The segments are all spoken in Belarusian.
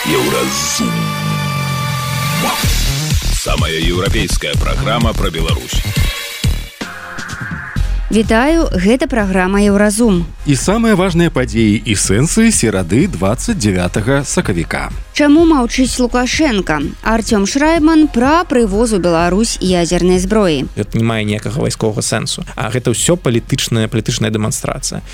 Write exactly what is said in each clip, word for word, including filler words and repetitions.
Еўразум. Самая еўрапейская праграма пра Беларусь. Вітаю, гэта праграма Еўразум. І самыя важныя падзеі і сэнсы серады двадцать девятого сакавіка. Чаму маўчыць Лукашенко? Артём Шрайбман пра прывоз у Беларусь ядзернай зброі. Гэта не мае ніякага вайсковага сэнсу, а гэта ўсё палітычная палітычная дэманстрацыя.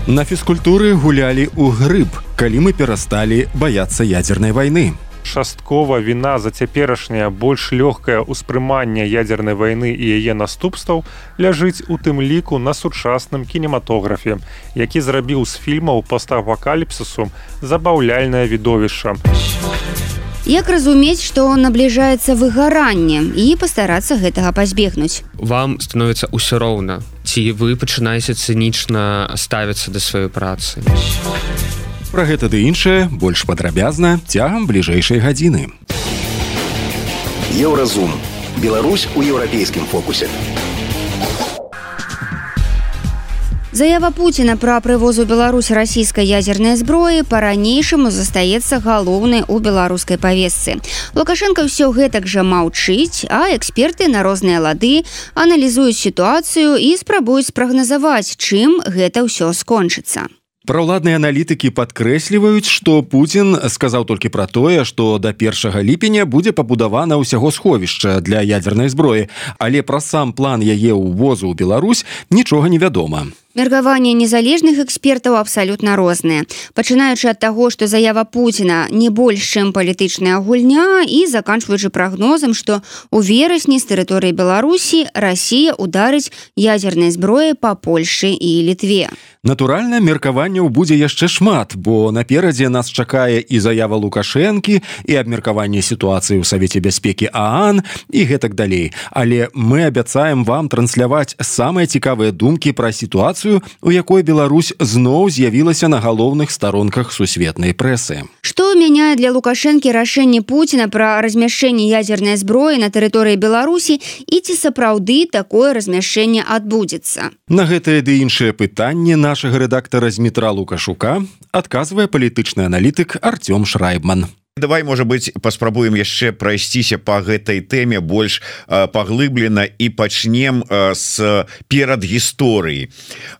На фізкультуры гулялі ў грыб, калі мы перасталі баяцца ядзернай вайны. Часткова віна за цяперашняе больш лёгкае ўспрыманне ядзернай вайны і яе наступстваў ляжыць у тым ліку на сучасным кінематографе, які зрабіў з фільмаў постапакаліпсісу забаўляльнае відовішча. Як разумець, што набліжаецца выгаранне і пастарацца гэтага пазбегнуць? Вам становіцца ўсё роўна, ці вы пачынаеце цынічна ставіцца да сваёй працы. Пра гэта ды іншае больш падрабязна цягам бліжэйшай гадзіны. Еўразум. Беларусь у еўрапейскім фокусе. Заява Пуціна пра прывоз у Беларусь расійскай ядзернай зброі па-ранейшаму застаецца галоўнай у беларускай павестцы. Лукашенко ўсё гэтак жа маўчыць, а эксперты на розныя лады аналізуюць сітуацыю і спрабуюць спрагназаваць, чым гэта ўсё скончыцца. Праўладныя аналітыкі падкрэсліваюць, што Пуцін сказаў толькі пра тое, што да першага ліпеня будзе пабудавана ўсяго сховішча для ядзернай зброі, але пра сам план яе ўвозу ў Беларусь нічога не вядома. Меркаванні незалежных экспертаў абсалютна розныя. Пачынаючы ад таго, што заява Пуціна не больш, чым палітычная гульня, і заканчваючы прагнозам, што ў верасні з тэрыторыі Беларусі Расія ударыць ядзернай зброі па Польшчы і Літве. Натуральна, меркаванняў будзе яшчэ шмат, бо наперадзе нас чакае і заява Лукашэнкі, і абмеркаванне сітуацыі ў Савеце бяспекі ААН, і гэтак далей. Але мы абяцаем вам трансляваць самыя цікавыя думкі пра сітуацыю, у якой Беларусь зноў з'явілася на галоўных старонках сусветнай прэсы. Што мяняе для Лукашэнкі рашэнне Пуціна пра размяшчэнне ядзернай зброі на тэрыторыі Беларусі і ці сапраўды такое размяшчэнне адбудзецца? На гэтае ды іншае пытанне нашага рэдактара Змітра Лукашука адказвае палітычны аналітык Артём Шрайбман. Давай, можа быць, паспрабуем яшчэ прайсціся па гэтай тэме больш э, паглыблена і пачнем э, з перадгісторыі.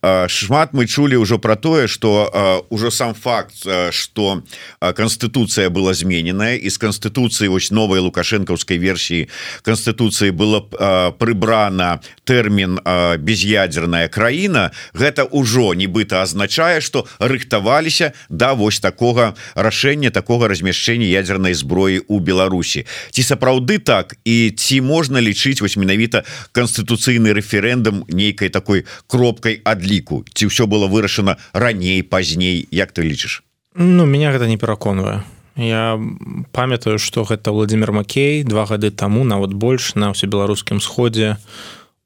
Э, шмат мы чулі ўжо пра тое, што э, ўжо сам факт, э, што э, Канстытуцыя была змененая, і з Канстытуцыі вось новай лукашэнкаўскай версіі Канстытуцыі было э, прыбрана тэрмін э, без'ядзерная краіна. Гэта ўжо нібыта азначае, што рыхтаваліся да вось такога рашэння, такога размяшчэння ядзернай зброі ў Беларусі. Ці сапраўды так, і ці можна лічыць вось менавіта канстытуцыйны рэферэндум нейкай такой кропкай адліку? Ці ўсё было вырашана раней, пазней? Як ты лічыш? Ну, меня гэта не пераконвае. Я памятаю, што гэта Владзімір Макей два гады таму, нават больш, на ўсебеларускім сходзе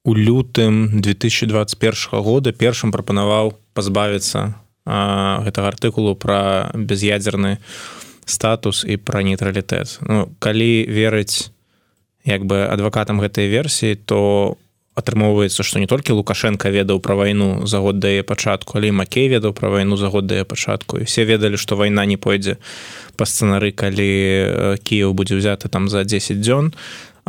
у лютым две тысячи двадцать первого года першым прапанаваў пазбавіцца а, гэтага артыкулу пра без'ядзерны статус і пра нейтралітэт. Ну, калі верыць як бы адвакатам гэтай версіі, то атрымоўваецца, што не толькі Лукашенко ведаў пра вайну за год да яе пачатку, але і Макей ведаў пра вайну за год да яе пачатку. І все ведалі, што вайна не пойдзе па сцэнары, калі Кіеў будзе ўзяты там за дзесяць дзён,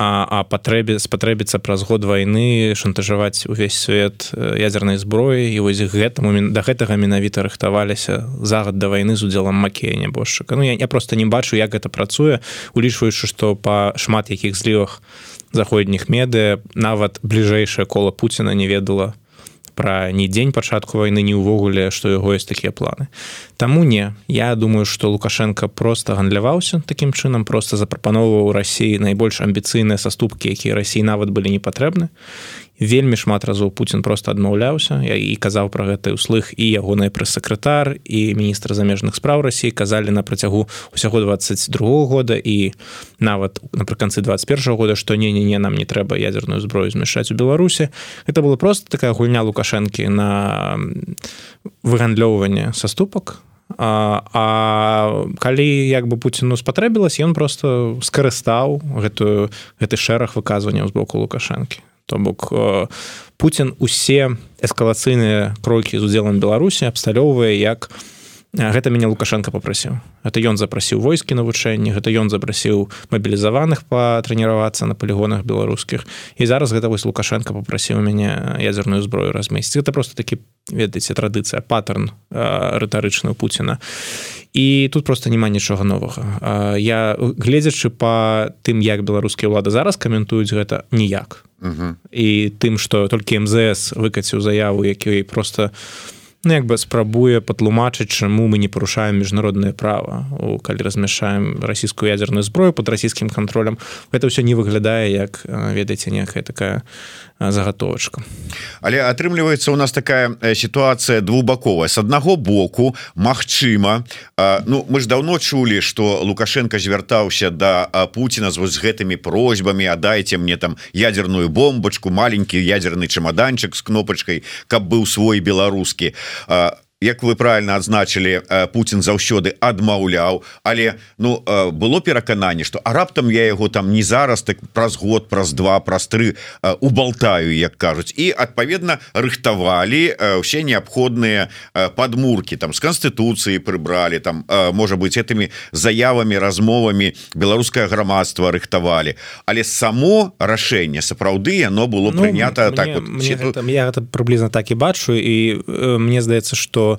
а, а патрэбі, спатрэбіцца праз год вайны шантажаваць увесь свет ядзернай зброі, і вось гэтаму, да гэтага менавіта рыхтаваліся загад да вайны з удзелам Макея нябожчыка. Ну, я, я проста не бачу, як гэта працуе, улічваючы, што па шмат якіх злівах заходніх медыа нават бліжэйшае кола Пуціна не ведала пра ні дзень пачатку вайны, ні ўвогуле, што яго ёсць такія планы. Таму не. Я думаю, што Лукашенко проста гандляваўся такім чынам, проста запрапаноўваў Расіі найбольш амбіцыйныя саступкі, якія Расіі нават былі не патрэбны. Вельмі шмат разоў Пуцін проста адмаўляўся, і казаў пра гэта ўслых і ягоны прэс-сакратар, і міністр замежных спраў Расіі казалі на працягу ўсяго двадцать другого года і нават напрыканцы двадцать первого года, што не-не-не, нам не трэба ядзерную зброю змяшчаць у Беларусі. Гэта была проста такая гульня Лукашэнкі на выгандлёўванне саступак. А, а калі як бы Пуціну спатрэбілася, ён проста скарыстаў гэтую, гэты шэраг выказванняў з боку Лукашэнкі. То бок Пуцін усе эскалацыйныя крокі з удзелам Беларусі абсталёўвае як гэта мяне Лукашенко попрасіў. Гэта ён запрасіў войскі навучэнні, гэта ён запрасіў мабілізаваных патрэніравацца на палігонах беларускіх. І зараз гэта вось Лукашенко попрасіў мяне ядзерную зброю размесціць. Гэта просто такі, ведаеце, традыцыя, паттерн рытарычны ў Пуціна. І тут просто няма нічога новага. Я, гледзячы па тым, як беларускія ўлады зараз каментуюць гэта, ніяк. Uh-huh. І тым, што толькі эм зэ эс выкаціў заяву, які просто ну, як бы спрабуе патлумачыць, чаму мы не парушаем міжнароднае права, калі размяшаем расійскую ядзерную зброю пад расійскім кантролем. Гэта ўсё не выглядае як, ведаеце, некая такая загатовачка. Але атрымліваецца у нас такая сітуацыя двухбаковая. С аднаго боку, магчыма, ну, мы ж даўно чулі, што Лукашенко звяртаўся да Пуціна з вось гэтымі просьбамі, а дайце мне там ядерную бомбачку, маленькі ядерны чемоданчик з кнопачкай, каб быў свой беларускі. Як вы правильно адзначылі, Пуцін заўсёды адмаўляў, але ну было перакананне, што а раптам я яго там не зараз, так праз год, праз два, праз тры убалтаю, як кажуць. І адпаведна рыхтавалі ўсе неабходныя падмуркі, там з канстытуцыі прыбралі, там можа быць этымі заявамі, размовамі беларускае грамадства рыхтавалі. Але само рашэнне сапраўды яно было ну, прынята мне, так вот. Мне гэта, я гэта прыблізна так і бачу, і э, мне здаецца, што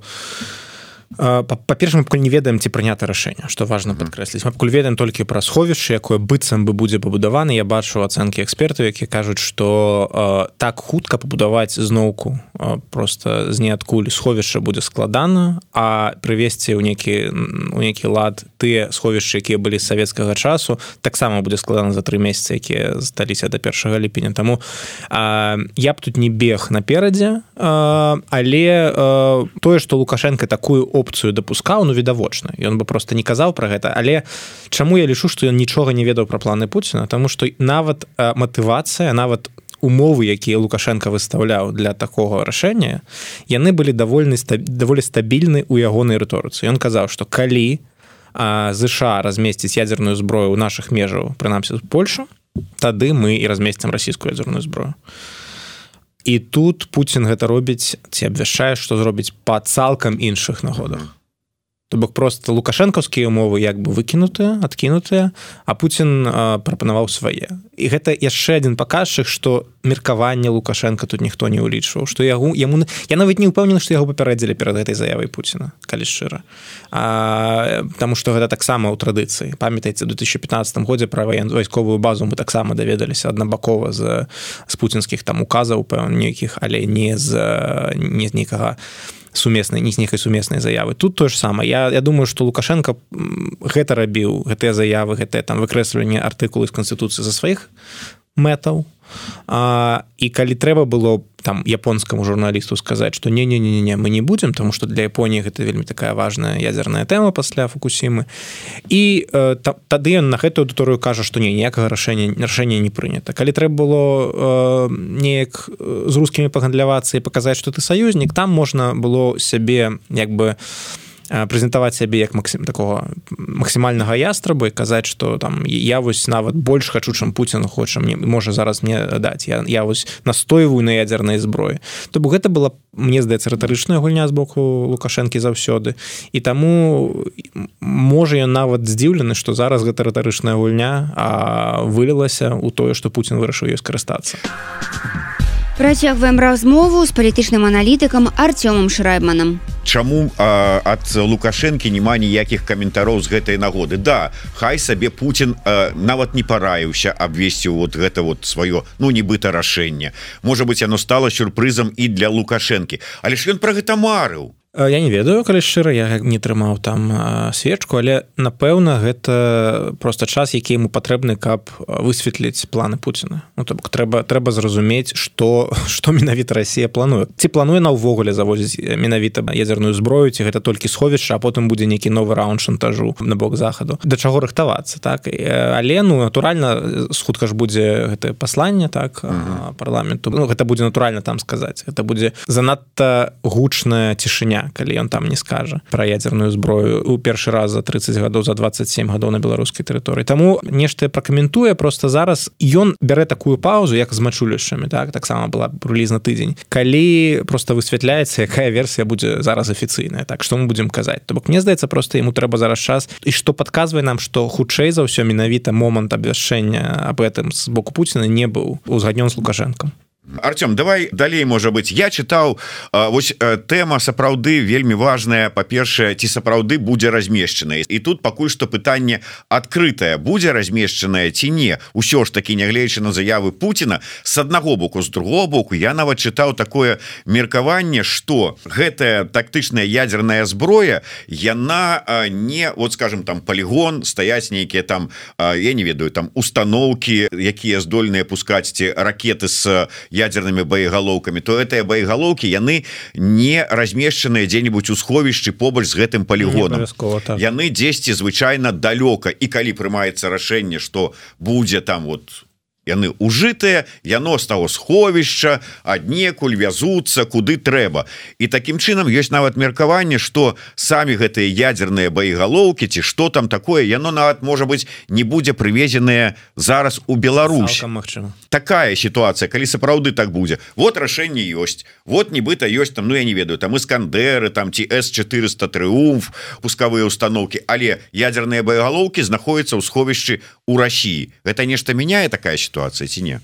па-перша, мы пакуль не ведаем, ці прынята рашэнне, што важна падкрэсліць. Мы пакуль ведаем толькі пра сховішча, якое быццам бы будзе пабудавана. Я бачу ацэнкі экспертаў, якія кажуць, што э, так хутка пабудаваць зноўку э, просто з ніадкуль сховішча будзе складана, а прывесці ў некі, ў некі лад тыя сховішчы, якія былі з савецкага часу, таксама будзе складана за тры месяцы, якія засталіся да першага ліпеня. Таму э, я б тут не бег наперадзе, э, але э, тое, што Лукашенко такую опцыю дапускаў, ну відавочна. Ён бы просто не казаў пра гэта, але чаму я лічу, што ён нічога не ведаў пра планы Пуціна? Таму што нават э, матывацыя, нават умовы, якія Лукашенко выстаўляў для такога рашэння, яны былі даволі, даволі стабільны ў ягонай рыторыцы. Ён казаў, што калі э, ЗША размесціць ядзерную зброю ў нашых межаў, прынамсі з Польшу, тады мы і размесцім расійскую ядзерную зброю. І тут Пуцін гэта робіць, ці абвяшчае, што зробіць па цалкам іншых нагодах. То бок просто лукашэнкаўскія умовы як бы выкінутыя, адкінутыя, а Пуцін а, прапанаваў свае. І гэта яшчэ адзін паказчык, што меркаванне Лукашенка тут ніхто не ўлічваў, што яго, яму, я нават не ўпэўнены, што яго папярэдзілі перад гэтай заявай Пуціна, калі шчыра. А, таму што гэта таксама ў традыцыі. Памятаеце, у две тысячи пятнадцатым годзе пра вайсковую базу мы таксама даведаліся аднабакова з, з пуцінскіх там указаў, пэўна, нейкіх, але не з, не з нейкага сумеснай, не з нейкай сумеснай заявы. Тут тое ж самае. Я, я думаю, што Лукашенко гэта рабіў, гэтыя заявы, гэтыя там выкрэсліванне артыкулы з Канстытуцыі за сваіх мэтаў. А, і калі трэба было там японскаму журналісту сказаць, што не-не-не, мы не будзем, таму што для Японіі гэта вельмі такая важная ядзерная тэма пасля Фукусімы. І э, та, тады ён на гэтую аўдыторыю кажа, што не, ніякага рашэння, рашэння не прынята. Калі трэба было э, неяк з рускімі пагандлявацца і паказаць, што ты саюзнік, там можна было сябе як бы прэзентаваць сябе як максим, такого максімальнага ястраба і казаць, што там я вось нават больш хачу, чым Пуцін хоча мне, можа зараз мне даць. Я, я вось настойваю на ядзернай зброі. То бок гэта была, мне здаецца, рытарычная гульня з боку Лукашэнкі заўсёды. І таму можа ён нават здзіўлены, што зараз гэта рытарычная гульня а вылілася ў тое, што Пуцін вырашыў ёй скарыстацца. Працягваем размову з палітычным аналітыкам Артёмам Шрайбманам. Чаму а, ад Лукашэнкі няма ніякіх каментароў з гэтай нагоды? Да, хай сабе Пуцін а, нават не параіўся абвесці вот гэта вот сваё, ну, нібыта рашэнне. Можа быць, яно стала сюрпрызам і для Лукашэнкі. Але ж ён пра гэта марыў. Я не ведаю, калі шчыра, я не трымаў там свечку, але, напэўна, гэта проста час, які яму патрэбны, каб высветліць планы Пуціна. Ну, то бок трэба, трэба зразумець, што, што менавіта Расія плануе. Ці плануе на ўвогуле завозіць менавіта ядзерную зброю, ці гэта толькі сховішча, а потым будзе нейкі новы раунд шантажу на бок захаду. Да чаго рыхтавацца, так? Але, ну, натуральна, хутка ж будзе гэтае пасланне, так, uh-huh. парламенту. Ну, гэта будзе натуральна там сказаць. Гэта будзе занадта гучная цішыня дня, калі ён там не скажа пра ядзерную зброю у першы раз за тридцать гадоў, за двадцать семь гадоў на беларускай тэрыторыі. Таму нешта пракаментуе, просто зараз ён бярэ такую паузу, як з мачулішчамі, так, таксама была прылізна тыдзень, калі просто высвятляецца, якая версія будзе зараз афіцыйная, так, што мы будзем казаць. То бок, мне здаецца, просто яму трэба зараз час, і што падказвае нам, што хутчэй за ўсё менавіта момант абвяшчэння аб гэтым з боку Пуціна не быў узгаднён з Лукашэнкам. Артём, давай далей, можа быть. Я чытаў, вось тэма сапраўды вельмі важная. Па-першае, ці сапраўды будзе размешчаная. І тут пакуль што пытанне адкрытае, будзе размешчаная ці не. Усё ж такі, нягледзячы на заявы Пуціна, з аднаго боку, з другого боку, я нават чытаў такое меркаванне, што гэтая тактычная ядерная зброя, яна не, вот скажем, там полігон, стаяць нейкія там, я не ведаю, там установкі, якія здольныя пускаць ці ракеты з ядерными боеголовками, то гэтыя боеголовки яны не размешчаныя дзе-нибудь у сховішчы побач з гэтым полігоном. Так. Яны дзесьці звычайна далёка, і калі прымаецца рашэнне, што будзе там вот яны ужытыя, яно з таго сховішча аднекуль вязуцца куды трэба. І такім чынам ёсць нават меркаванне, што самі гэтыя ядерныя боеголовки ці што там такое, яно нават можа быць не будзе прывезенае зараз у Беларусь. Такая сітуацыя, калі сапраўды так будзе. Вот рашэнне ёсць. Вот нібыта ёсць там, ну я не ведаю, там Іскандеры, там ці эс четыреста Трыумф, пускавыя установкі, але ядерныя боеголовки знаходзяцца ў сховішчы у России. Гэта нешта мяняе такая ситуация ці не?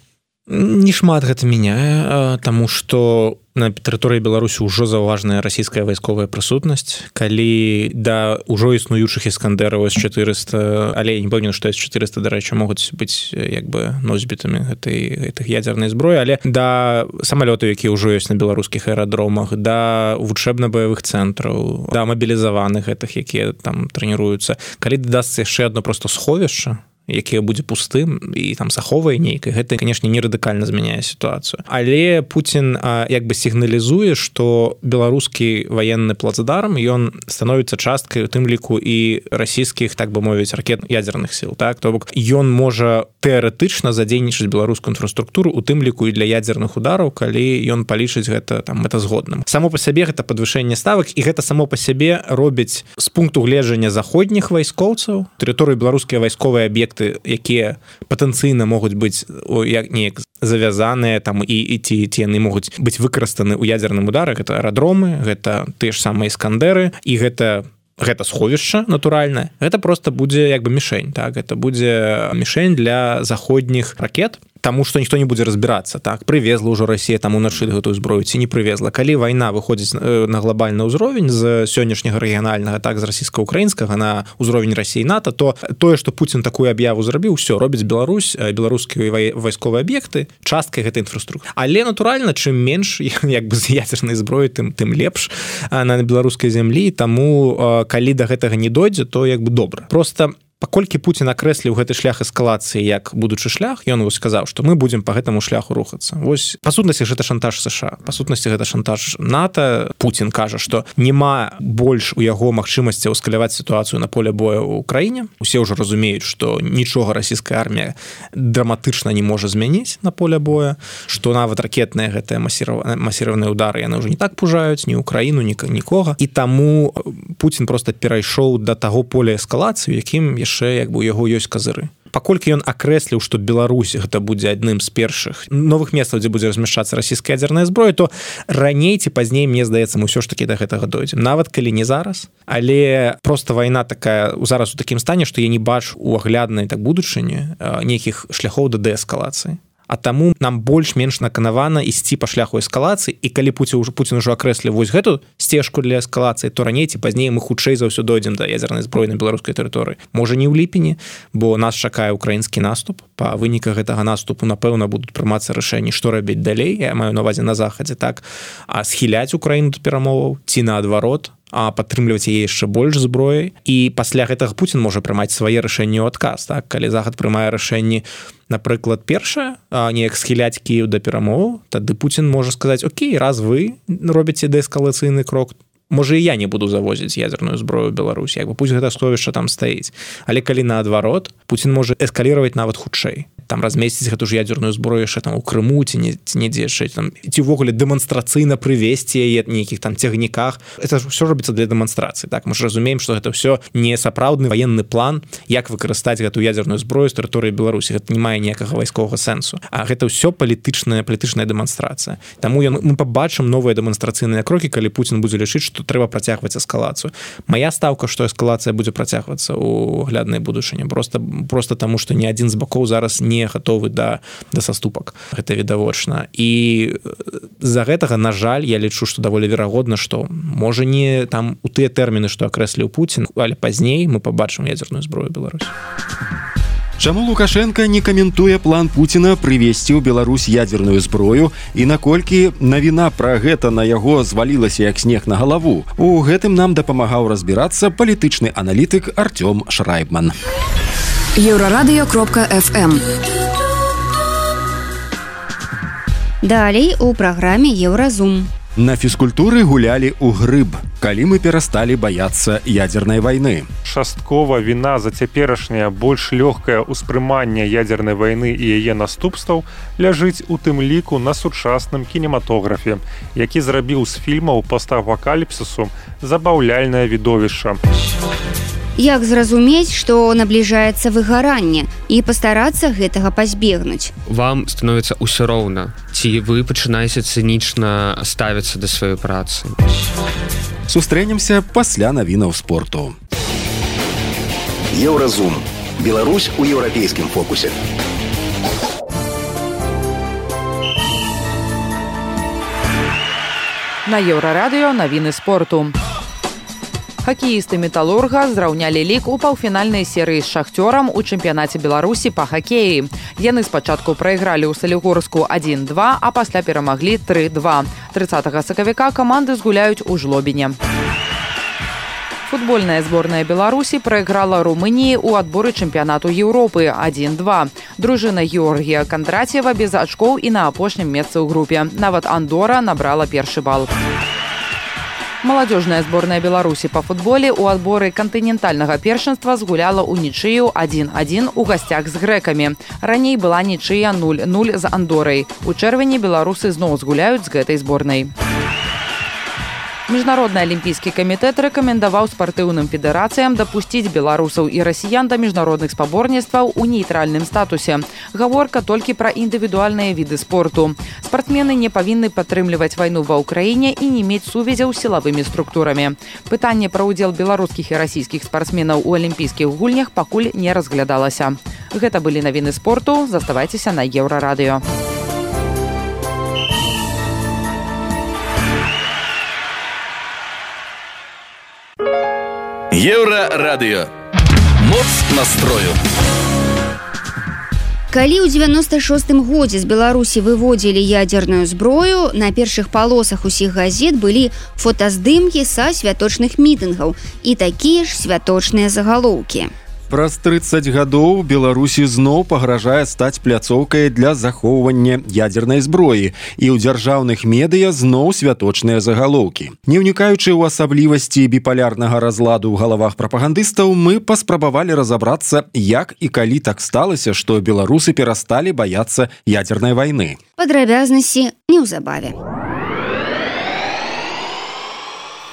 Не шмат гэта мяняе, таму што на тэрыторыі Беларусі ўжо заўважная расійская вайсковая прысутнасць. Калі да ўжо існуючых Іскандераў эс четыреста, але я не пэўнен, што эс четыреста, дарэчы, могуць быць як бы носьбітамі гэтай гэтых ядзернай зброі, але да самалётаў, якія ўжо ёсць на беларускіх аэрадромах, да вучэбна-баявых цэнтраў, да мабілізаваных гэтых, якія там трэніруюцца. Калі дадасца яшчэ адно проста сховішча, якія будзе пустым і там заховае нейкай, гэта, канешне, не радыкальна змяняе сітуацыю. Але Пуцін як бы сігналізуе, што беларускі ваенны плацдарм, ён становіцца часткай у тым ліку і расійскіх, так бы мовіць, ракет ядерных сіл. Так? То бок, ён можа тэарэтычна задзейнічаць беларускую інфраструктуру у тым ліку і для ядзерных удараў, калі ён палічыць гэта там мэтазгодным. Само па сябе гэта падвышэнне ставак, і гэта само па сябе робіць з пункту гледжання заходніх вайскоўцаў, тэрыторыі беларускія вайсковыя аб'екты, якія патэнцыйна могуць быць як неяк завязаныя там і, і ці, ці яны могуць быць выкарыстаны ў ядзерным ударах. Гэта аэрадромы, гэта тыя ж самыя Іскандеры, і гэта гэта сховішча натуральнае. Гэта просто будзе як бы мішень, так, гэта будзе мішень для заходніх ракет, таму што ніхто не будзе разбірацца, так, прывезла ўжо Расія там уначы гэтую зброю ці не прывезла. Калі вайна выходзіць на глобальны ўзровень з сённяшняга рэгіянальнага, так, з расійска-украінскага на ўзровень Расіі НАТО, то тое, што Пуцін такую аб'яву зрабіў, усё робіць Беларусь, беларускія вайсковыя аб'екты часткай гэтай інфраструктуры. Але натуральна, чым менш як бы з ядзернай зброі, тым тым лепш на беларускай зямлі, таму калі да гэтага не дойдзе, то як бы добра. Просто паколькі Пуцін акрэсліў гэты шлях эскалацыі як будучы шлях, ён вось сказаў, што мы будзем па гэтаму шляху рухацца. Вось па сутнасці гэта шантаж США, па сутнасці гэта шантаж НАТО. Пуцін кажа, што няма больш у яго магчымасці ўскаляваць сітуацыю на поле боя ў краіне. Усе ўжо разумеюць, што нічога расійская армія драматычна не можа змяніць на поле боя, што нават ракетныя гэтыя масіраваныя удары яны ўжо не так пужаюць ні ўкраіну, ні нікога. І таму Пуцін проста перайшоў да таго поля эскалацыі, якім яшчэ як бы у яго ёсць казыры. Паколькі ён акрэсліў, што Беларусь гэта будзе адным з першых новых месцаў, дзе будзе размяшчацца расійская ядзерная зброя, то раней ці пазней, мне здаецца, мы ўсё ж такі да гэтага дойдзем. Нават калі не зараз, але просто вайна такая зараз у такім стане, што я не бачу у агляднай так будучыні нейкіх шляхоў да дээскалацыі. А таму нам больш-менш наканавана ісці па шляху эскалацыі, і калі Пуцін ўжо Пуцін ужо акрэсліў вось гэту сцежку для эскалацыі, то раней ці пазней мы хутчэй за ўсё дойдзем да ядзернай зброі на беларускай тэрыторыі. Можа, не ў ліпені, бо нас чакае ўкраінскі наступ. Па выніках гэтага наступу, напэўна, будуць прымацца рашэнні, што рабіць далей. Я маю на ўвазе на захадзе, так, а схіляць Украіну да перамоваў ці наадварот, а падтрымліваць яе яшчэ больш зброяй. І пасля гэтага Пуцін можа прымаць свае рашэнні ў адказ, так, калі захад прымае рашэнні, напрыклад, першае, неяк схіляць Кіеў да перамоваў, тады Пуцін можа сказаць: окей, раз вы робіце дээскалацыйны крок, можа, і я не буду завозіць ядзерную зброю ў Беларусь, як бы пусть гэта сховішча там стаіць. Але калі наадварот, Пуцін можа эскаліраваць нават хутчэй. там размесціць гэту ж ядерную зброю яшчэ там у Крыму ці не ці недзе яшчэ там ці ўвогуле дэманстрацыйна прывесці яе нейкіх там цягніках. Это ж все робіцца для дэманстрацыі. Так мы ж разумеем, што гэта все не сапраўдны ваенны план, як выкарыстаць гэту ядерную зброю з тэрыторыі Беларусі. Гэта не мае ніякага вайсковага сэнсу. А гэта ўсё палітычная палітычная дэманстрацыя. Таму ён, мы пабачым новыя дэманстрацыйныя крокі, калі Пуцін будзе лічыць, што трэба працягваць эскалацыю. Мая стаўка, што эскалацыя будзе працягвацца ў гляднай будучыні. Просто просто таму, што ні адзін з бакоў зараз не гатовы да да саступак. Гэта відавочна. І з-за гэтага, на жаль, я лічу, што даволі верагодна, што можа не там у тыя тэрміны, што акрэсліў Пуцін, але пазней мы пабачым ядерную зброю Беларусі. Чаму Лукашенко не каментуе план Пуціна прывесці ў Беларусь ядерную зброю і наколькі навіна пра гэта на яго звалілася як снег на галаву? У гэтым нам дапамагаў разбірацца палітычны аналітык Артём Шрайбман. Еўрарадыё кропка эф эм. Далей у праграме Еўразум. На фізкультуры гулялі ў грыб, калі мы перасталі баяцца ядернай вайны. Часткова віна за цяперашняе больш лёгкае ўспрыманне ядернай вайны і яе наступстваў ляжыць у тым ліку на сучасным кінематографе, які зрабіў з фільмаў постапакаліпсісу забаўляльнае відовішча. Як зразумець, што набліжаецца выгаранне і пастарацца гэтага пазбегнуць? Вам становіцца ўсё роўна, ці вы пачынаеце цынічна ставіцца да сваёй працы. Сустрэнемся пасля навінаў спорту. Еўразум. Беларусь у еўрапейскім фокусе. На Еўрарадыё навіны спорту. Хакеісты «Металлурга» зраўнялі лік у паўфінальнай серыі з «Шахцёрам» у чэмпіянаце Беларусі па хакеі. Яны спачатку прайгралі ў Салігорску адзін два, а пасля перамаглі тры два. трыццатага сакавіка каманды згуляюць у Жлобіне. Футбольная зборная Беларусі прайграла Румыніі ў адборы чэмпіянату Еўропы адзін два. Дружына Георгія Кандраціева без ачкоў і на апошнім месцы ў групе. Нават Андора набрала першы бал. Маладзёжная зборная Беларусі па футболе ў адборы кантынентальнага першынства згуляла ў нічыю адзін адзін у гасцях з грэкамі. Раней была нічыя нуль нуль з Андорай. У чэрвені беларусы зноў згуляюць з гэтай зборнай. Міжнародны алімпійскі камітэт рэкамендаваў спартыўным федэрацыям дапусціць беларусаў і расіян да міжнародных спаборніцтваў у нейтральным статусе. Гаворка толькі пра індывідуальныя віды спорту. Спартсмены не павінны падтрымліваць вайну ва ўкраіне і не мець сувязяў з сілавымі структурамі. Пытанне пра ўдзел беларускіх і расійскіх спартсменаў у алімпійскіх гульнях пакуль не разглядалася. Гэта былі навіны спорту. Заставайцеся на Еўрарадыё. Еўрарадыё. Моц настрою. Калі ў дзевяноста шостым годзе з Беларусі выводзілі ядерную зброю, на першых палосах усіх газет былі фотаздымкі са святочных мітынгаў і такія ж святочныя загалоўкі. Праз трыццаць гадоў Беларусі зноў пагражае стаць пляцоўкай для захоўвання ядернай зброі, і ў дзяржаўных медыя зноў святочныя загалоўкі. Не ўнікаючы ў асаблівасці біпалярнага разладу ў галавах прапагандыстаў, мы паспрабавалі разабрацца, як і калі так сталася, што беларусы перасталі баяцца ядернай вайны. Падрабязнасці неўзабаве.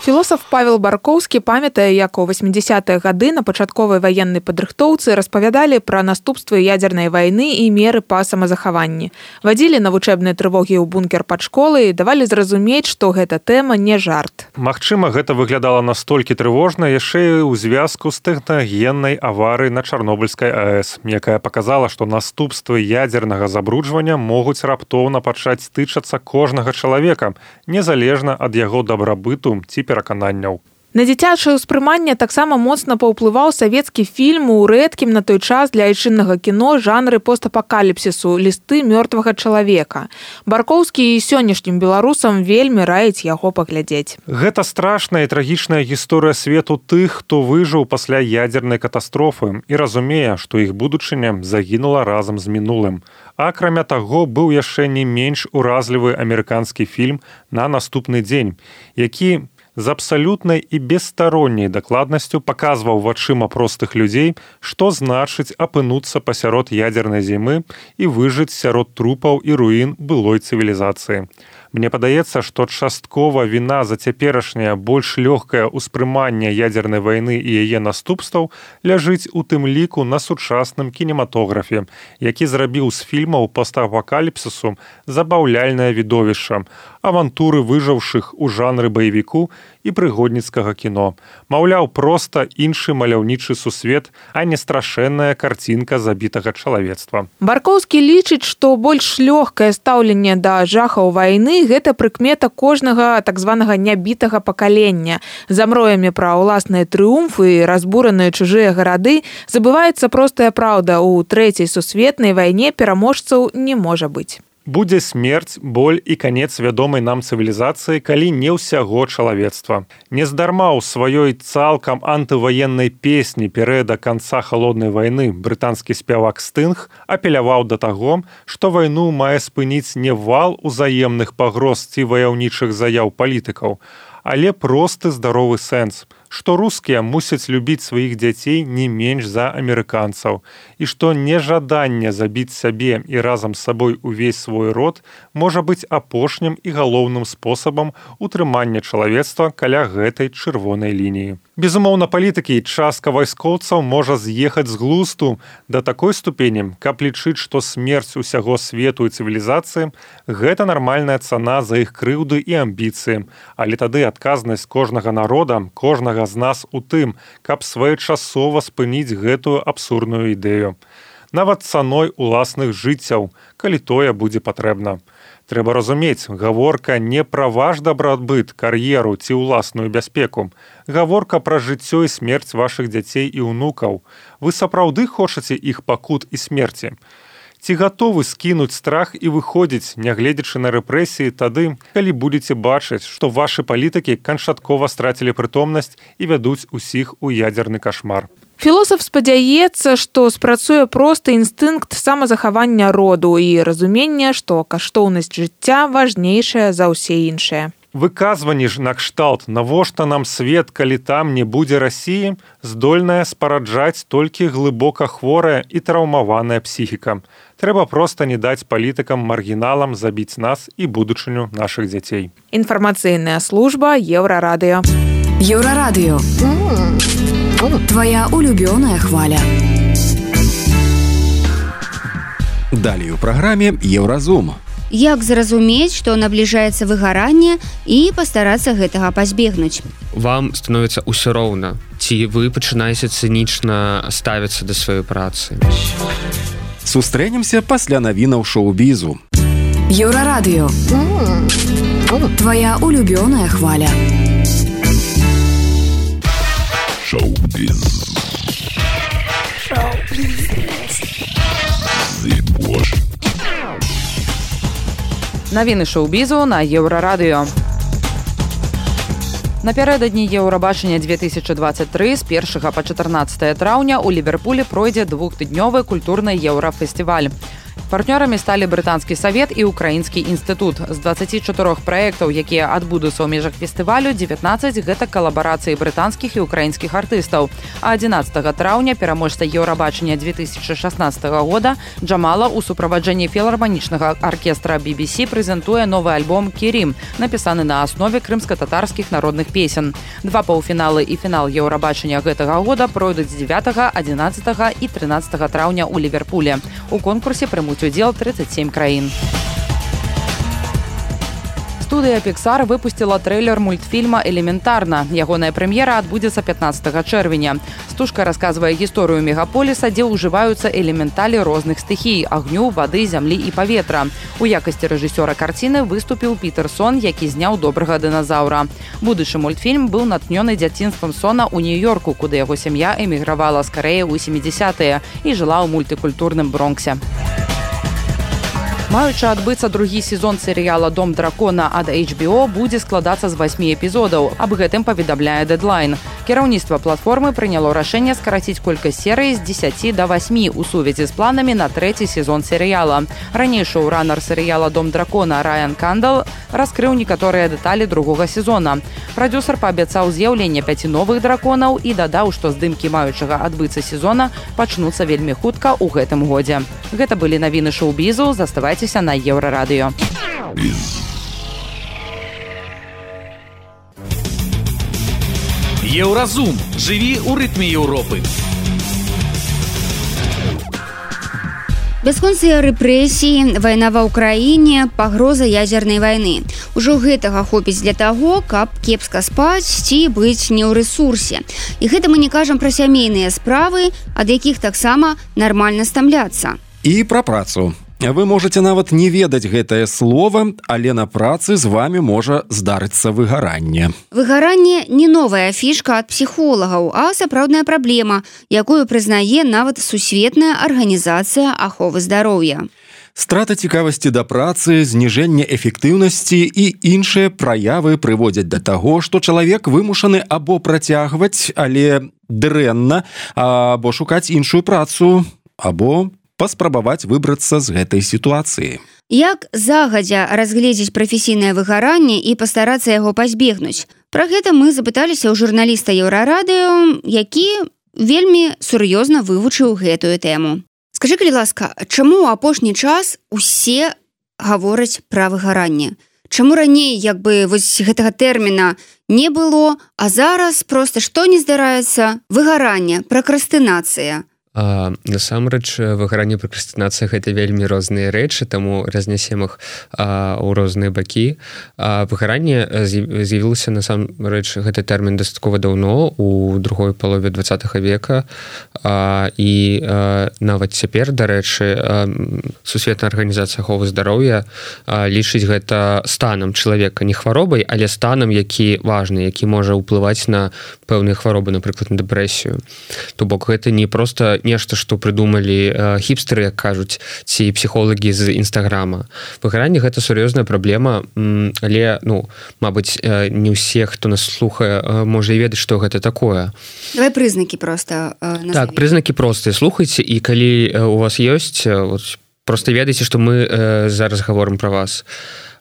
Філосаф Павел Баркоўскі памятае, як у восьмідзесятыя гады на пачатковай ваеннай падрыхтоўцы распавядалі пра наступствы ядернай вайны і меры па самазахаванні. Вадзілі навучэбныя трывогі ў бункер пад школай і давалі зразумець, што гэта тэма не жарт. Магчыма, гэта выглядала настолькі трывожна яшчэ і ў звязку з тэхнагеннай аварыяй на Чарнобыльскай АЭС, якая паказала, што наступствы ядернага забруджвання могуць раптоўна пачаць тычацца кожнага чалавека, незалежна ад яго дабрабыту ці перакананняў. На дзіцячае ўспрыманне таксама моцна паўплываў савецкі фільм у рэдкім на той час для айчыннага кіно жанры постапакаліпсісу «Лісты мёртвага чалавека». Баркоўскі і сённяшнім беларусам вельмі раіць яго паглядзець. Гэта страшная і трагічная гісторыя свету тых, хто выжыў пасля ядернай катастрофы і разумее, што іх будучыня загінула разам з мінулым. Акрамя таго, быў яшчэ не менш уразлівы амерыканскі фільм «На наступны дзень», які з абсалютнай і бесстаронняй дакладнасцю паказваў вачыма простых людзей, што значыць апынуцца пасярод ядзернай зімы і выжыць сярод трупаў і руін былой цывілізацыі. Мне падаецца, што часткова віна за цяперашняе больш лёгкае ўспрыманне ядзернай вайны і яе наступстваў ляжыць у тым ліку на сучасным кінематографе, які зрабіў з фільмаў постапакаліпсісу забаўляльнае відовішча, авантуры выжыўшых у жанры баевіку і прыгодніцкага кіно. Маўляў, проста іншы маляўнічы сусвет, а не страшэнная карцінка забітага чалавецтва. Баркоўскі лічыць, што больш лёгкае стаўленне да жахаў вайны гэта прыкмета кожнага так званага нябітага пакалення. За мроямі пра ўласныя трыумфы і разбураныя чужыя гарады забываецца простая праўда: у трэцяй сусветнай вайне пераможцаў не можа быць. Будзе смерць, боль і канец вядомай нам цывілізацыі, калі не ўсяго чалавецтва. Нездарма ў сваёй цалкам антываеннай песні перыяда канца халоднай вайны брытанскі спявак Стынг апеляваў да таго, што вайну мае спыніць не вал узаемных пагроз ці ваяўнічых заяў палітыкаў, але просты здаровы сэнс, што рускія мусяць любіць сваіх дзяцей не менш за амерыканцаў, і што нежаданне забіць сябе і разам з сабой увесь свой род можа быць апошнім і галоўным спосабам утрымання чалавецтва каля гэтай чырвонай лініі. Безумоўна, палітыкі і частка вайскоўцаў можа з'ехаць з глусту да такой ступені, каб лічыць, што смерць усяго свету і цывілізацыі – гэта нармальная цана за іх крыўды і амбіцыі, але тады адказнасць кожнага народа, кожнага з нас у тым, каб своечасова спыніць гэтую абсурдную ідэю. Нават цаной уласных жыццяў, калі тое будзе патрэбна. Трэба разумець, гаворка не пра ваш дабрабыт, кар'еру ці ўласную бяспеку. Гаворка пра жыццё і смерць вашых дзяцей і ўнукаў. Вы сапраўды хочаце іх пакут і смерці? Ці гатовы скінуць страх і выходзіць, нягледзячы на рэпрэсіі, тады, калі будзеце бачыць, што вашы палітыкі канчаткова страцілі прытомнасць і вядуць усіх у ядзерны кашмар? Філосаф спадзяецца, што спрацуе просты інстынкт самазахавання роду і разуменне, што каштоўнасць жыцця важнейшая за ўсе іншыя. Выказванні ж накшталт, навошта нам свет, калі там не будзе Расіі, здольная спараджаць толькі глыбока хворая і траўмаваная псіхіка. Трэба проста не даць палітыкам-маргіналам забіць нас і будучыню нашых дзяцей. Інфармацыйная служба Еўрарадыё. Еўрарадыё. Твоя улюбёная хваля. Далей у праграме Еўразум. Як зразумець, што набліжаецца выгаранне і пастарацца гэтага пазбегнуць? Вам становіцца ўсё роўна, ці вы пачынаеце цынічна ставіцца да сваёй працы. Сустрэнемся пасля навінаў шоу-бізу. Еўрарадыё. Твоя улюбёная хваля. Шоу-біз. Навіны шоу-бізу на Еўрарадыё. Напярэдадні Еўрабачання две тысячы двадцать три з першага па чатырнаццатае траўня ў Ліверпулі пройдзе двухднёвы культурны еўрафестываль. Партнёрамі сталі брытанскі савет і украінскі інстытут. З дваццаці чатырох праектаў, якія адбудуцца ў межах фестывалю, дзевятнаццаць гэта калабарацыі брытанскіх і украінскіх артыстаў. А адзінаццатага траўня пераможца Еўрабачання две тысячи шаснаццатага года Джамала ў суправаджэнні філарманічнага аркестра би би сі прэзентуе новы альбом «Керім», напісаны на аснове крымска-татарскіх народных песен. Два паўфіналы і фінал Еўрабачання гэтага года пройдуць з дзевятага, адзінаццатага і трынаццатага траўня ў Ліверпулі. У конкурсе прымуць удзел тридцать семь краін. Студыя Pixar выпусціла трэйлер мультфільма «Элементарна». Ягоная прэм'ера адбудзецца пятнаццатага чэрвеня. Стужка расказвае гісторыю мегаполіса, дзе ўжываюцца элементалі розных стыхій – агню, вады, зямлі і паветра. У якасці рэжысёра карціны выступіў Пітер Сон, які зняў «Добрага дыназаўра». Будучы мультфільм быў натхнёны дзяцінствам Сона ў Нью-Йорку, куды яго сям'я эмігравала з Карэі ў сямідзесятыя і жыла ў мультыкультурным Бронксе. Маючы адбыцца другі сезон серыяла «Дом дракона» ад эйч би о будзе складацца з васьмі эпізодаў. Аб гэтым паведамляе Deadline. Кіраўніцтва платформы прыняло рашэнне скараціць колькасць серый з дзесяці да васьмі ў сувязі з планамі на трэці сезон серыяла. Раней шоураннер серыяла «Дом дракона» Райан Кандал раскрыў некаторыя дэталі другога сезона. Прадюсер паабяцаў з'яўленне пяці новых драконаў і дадаў, што здымкі маючага адбыцца сезона пачнуцца вельмі хутка ў гэтым годзе. Гэта былі навіны шоу-бізу, заставайцеся на Еўрарадыё. Еўразум. Жыві ў рытме Еўропы. Бясконцыя рэпрэсіі, вайна ва ўкраіне, пагроза ядзернай вайны. Ужо гэтага хопіць для таго, каб кепска спаць ці быць не ў рэсурсе. І гэта мы не кажам пра сямейныя справы, ад якіх таксама нармальна стамляцца. І пра працу. Вы можете нават не ведаць гэтае слово, але на працы з вами можа здарыцца выгаранне. Выгаранне не новая фішка ад псіхолагаў, а сапраўдная праблема, якую прызнае нават Сусветная арганізацыя аховы здароўя. Страта цікавасці да працы, зніжэнне эфектыўнасці і іншыя праявы прыводзяць да таго, што чалавек вымушаны або працягваць, але дрэнна, або шукаць іншую працу, або паспрабаваць выбрацца з гэтай сітуацыі. Як загадзя разгледзець прафесійнае выгаранне і пастарацца яго пазбегнуць? Пра гэта мы запыталіся ў журналіста Еўрарадыё, які вельмі сур'ёзна вывучыў гэтую тэму. Скажы, калі ласка, чаму ў апошні час усе гавораць пра выгаранне? Чаму раней як бы вось гэтага тэрміна не было, а зараз проста што не здараецца? Выгаранне, пракрастынацыя. А, насамрэч выгаранне, пракрастынацыя гэта вельмі розныя рэчы, таму разнясем іх а, ў розныя бакі. А выгаранне з'явілася насамрэч гэты тэрмін дастаткова даўно, у другой палове двадцатага века, а, і а, нават цяпер, дарэчы, а, Сусветная арганізацыя аховы здароўя а, лічыць гэта станам чалавека, не хваробай, але станам, які важны, які можа ўплываць на пэўныя хваробы, напрыклад, на дэпрэсію. То бок гэта не проста нешта, што прыдумалі э, хіпстэры, як кажуць, ці псіхолагі з Інстаграма. Выгаранне гэта сур'ёзная праблема, м, але, ну, мабыць, э, не ўсе, хто нас слухае, э, можа і ведаць, што гэта такое. Давай прызнакі проста э, назовем. Так, прызнакі простыя. Слухайце, і калі э, у вас ёсць, э, вот, проста ведайце, што мы э, зараз гаворым пра вас.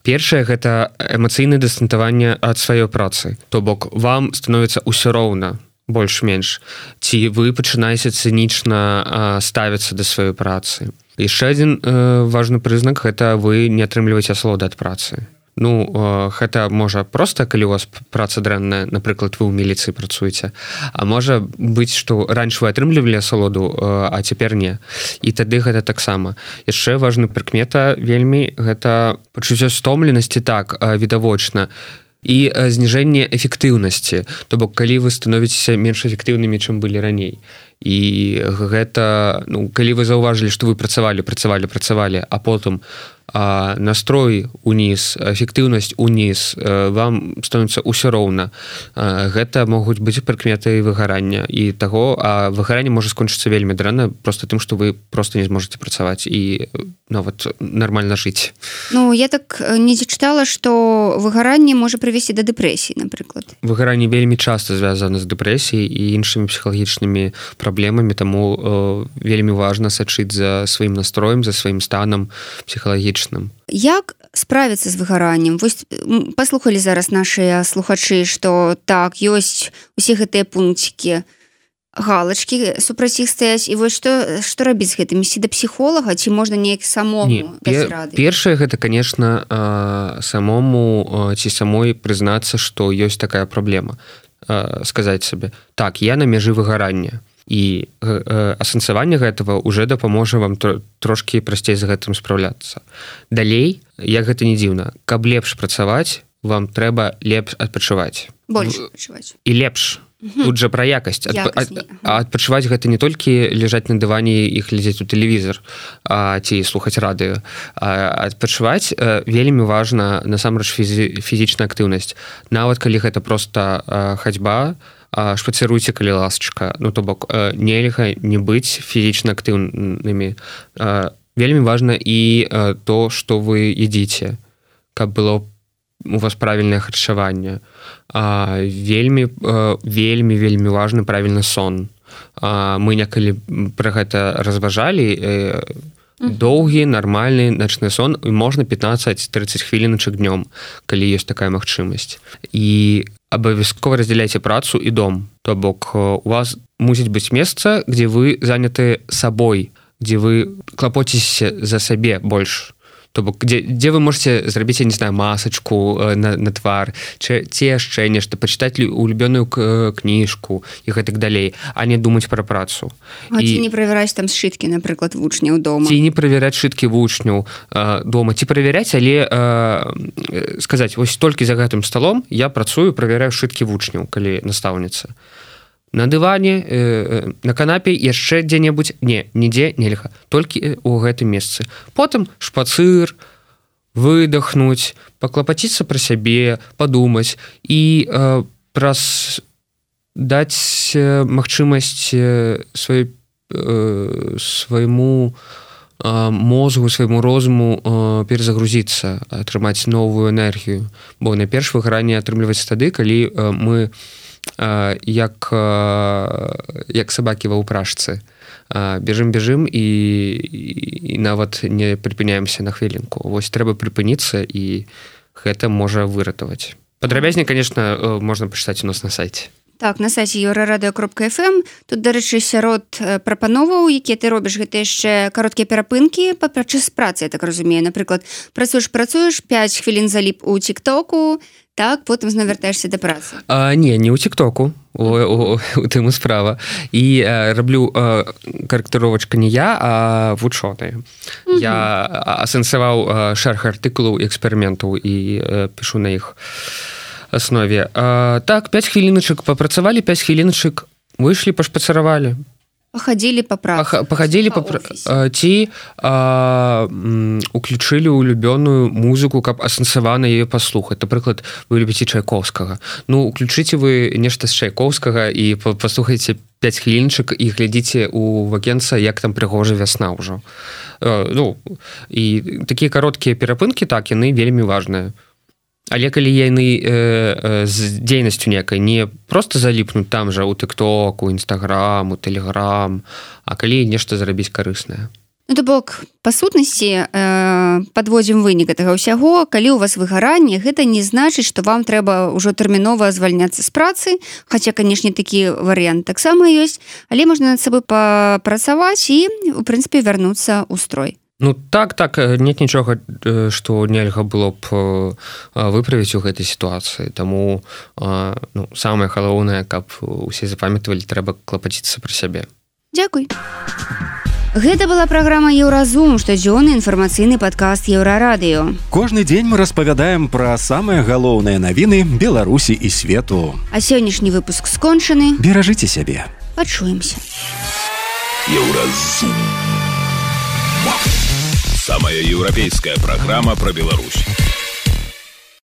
Першае, гэта эмацыйнае дыстанаванне ад сваёй працы. То бок, вам становіцца ўсё роўна, больш-менш, ці вы пачынаеце цынічна а, ставіцца да сваёй працы. Яшчэ адзін э, важны прызнак, гэта вы не атрымліваеце асалоды ад працы. Ну, э, гэта можа проста, калі у вас праца дрэнная, напрыклад, вы ў міліцыі працуеце, а можа быць, што раньше вы атрымлівалі асалоду, э, а цяпер не. І тады гэта таксама. Яшчэ важны прыкмета вельмі, гэта пачуццё стомленасці, так, э, відавочна, і зніжэнне эфектыўнасці, то бок калі вы становіцеся менш эфектыўнымі, чым былі раней. І гэта, ну, калі вы заўважылі, што вы працавалі, працавалі, працавалі, а потым а, настрой уніз, эфектыўнасць уніз, вам становіцца ўсё роўна. А, гэта могуць быць прыкметы выгарання і таго, а выгаранне можа скончыцца вельмі дрэнна проста тым, што вы проста не зможаце працаваць і нават нармальна жыць. Ну, я так недзе чытала, што выгаранне можа прывесці да дэпрэсіі, напрыклад. Выгаранне вельмі часта звязана з дэпрэсіяй і іншымі псіхалагічнымі праблемамі, таму э, вельмі важна сачыць за сваім настроем, за сваім станам псіхалагічным. Як справіцца з выгараннем? Вось паслухалі зараз нашыя слухачы, што так, ёсць усе гэтыя пункцікі, галачкі супраць іх стаяць, і вось што, што рабіць з гэтым? Ісці да псіхолага, ці можна неяк самому даць рады? Першае, гэта, конечно, э, самому э, ці самой прызнацца, што ёсць такая праблема. Э, сказаць сабе, так, я на мяжы выгарання. І э, асэнсаванне гэтага уже дапаможа вам тр- трошкі прасцей з гэтым спраўляцца. Далей, як гэта не дзіўна, каб лепш працаваць, вам трэба лепш адпачываць. Больш адпачываць. І лепш. Угу. Тут жа пра якасць. Адп... Якасць. А адпачываць гэта не толькі ляжаць на дыване і глядзець у тэлевізор, а, ці слухаць радыё. А адпачываць а, вельмі важна насамрэч фізі... фізічная актыўнасць. Нават калі гэта проста а, хадзьба, а, шпацыруйце, калі ласачка. Ну, то бок, а, нельга не быць фізічна актыўнымі. А, вельмі важна і а, то, што вы едзіце, каб было у вас правільнае харчаванне, вельмі вельмі вельмі важны правільны сон. Мы некалі пра гэта разважалі, доўгі нармальны начны сон, і можна пятнаццаць-трыццаць хвіліначак днём, калі ёсць такая магчымасць. І абавязкова раздзяляйце працу і дом. То бок у вас мусіць быць месца, дзе вы заняты сабой, дзе вы клапоцецеся за сабе больш. То бок дзе, дзе вы можете зрабіць, я не знаю, масачку на, на твар, ці, ці яшчэ нешта, пачытаць улюбёную кніжку і гэтак далей, а не думаць пра працу. А і... ці не правяраць там сшыткі, напрыклад, вучняў дома? Ці не правяраць сшыткі вучняў э, дома, ці правяраць, але э, сказаць, вось толькі за гэтым сталом я працую, правяраю сшыткі вучняў, калі настаўніца. На дыване, э, на канапе, яшчэ дзе-небудзь, не, нідзе нельга, толькі у гэтым месцы. Потым шпацыр, выдохнуць, паклапаціцца пра сябе, падумаць і э, праз даць э, магчымасць э, свай, э, свайму э, мозгу, свайму розуму э, перезагрузіцца, атрымаць новую энергію. Бо найперш выгаранне атрымліваецца тады, калі э, мы як, як сабакі ва ўпражцы. Бежым-бежым і, і нават не прыпыняемся на хвілінку. Вось трэба прыпыніцца, і гэта можа выратаваць. Падрабязней, конечно, можна пачытаць у нас на сайце. Так, на сайце еўрарадыё кропка эф эм. Тут, дарэчы, сярод прапановаў, якія ты робіш, гэта яшчэ кароткія перапынкі падчас працы, я так разумею. Напрыклад, працуеш-працуеш, пяць хвілін заліп у тик-току, так, потым зноў вяртаешся да працы. А, не, не ў тик-току, у, у, у тым і справа. І а, раблю а, карэктыровачка не я, а вучоныя. Mm-hmm. Я асэнсаваў шэраг артыкулаў і эксперыментаў і а, пішу на іх аснове. А, так, пяць хвіліначак папрацавалі, пяць хвіліначак выйшлі, пашпацаравалі. Пахадзілі па працы. Пахадзілі па працы. Ці а, м, уключылі улюбёную музыку, каб асэнсавана яе паслухаць. Напрыклад, вы любіце Чайковскага. Ну, уключыце вы нешта з Чайковскага і паслухайце пяць хвілінчак і глядзіце у вакенца, як там прыгожа вясна ўжо. А, ну, і такія кароткія перапынкі, так, яны вельмі важныя. Але калі яны э, э, з дзейнасцю некай не просто заліпнуць там жа у тик-ток, у інстаграм, у тэлеграм, а калі нешта зрабіць карыснае. Ну, то бок, па сутнасці, э, падводзім вынік гэтага ўсяго, калі у вас выгаранне, гэта не значыць, што вам трэба ўжо тэрмінова звальняцца з працы, хаця, канешне, такі варыянт таксама ёсць, але можна над сабой папрацаваць і, у прынцыпе, вярнуцца ў строй. Ну так, так, нет нічога, што нельга было б выправіць у гэтай сітуацыі. Таму ну, самае галоўнае, каб усе запамятавалі, трэба клапаціцца пра сябе. Дзякуй. Гэта была праграма «Еўразум», штодзённы інфармацыйны падкаст «Еўрарадыё». Кожны дзень мы распавядаем пра самыя галоўныя навіны Беларусі і свету. А сённяшні выпуск скончаны. Беражыце сябе. Пачуемся. Еўразум. Самая еўрапейская программа про Беларусь.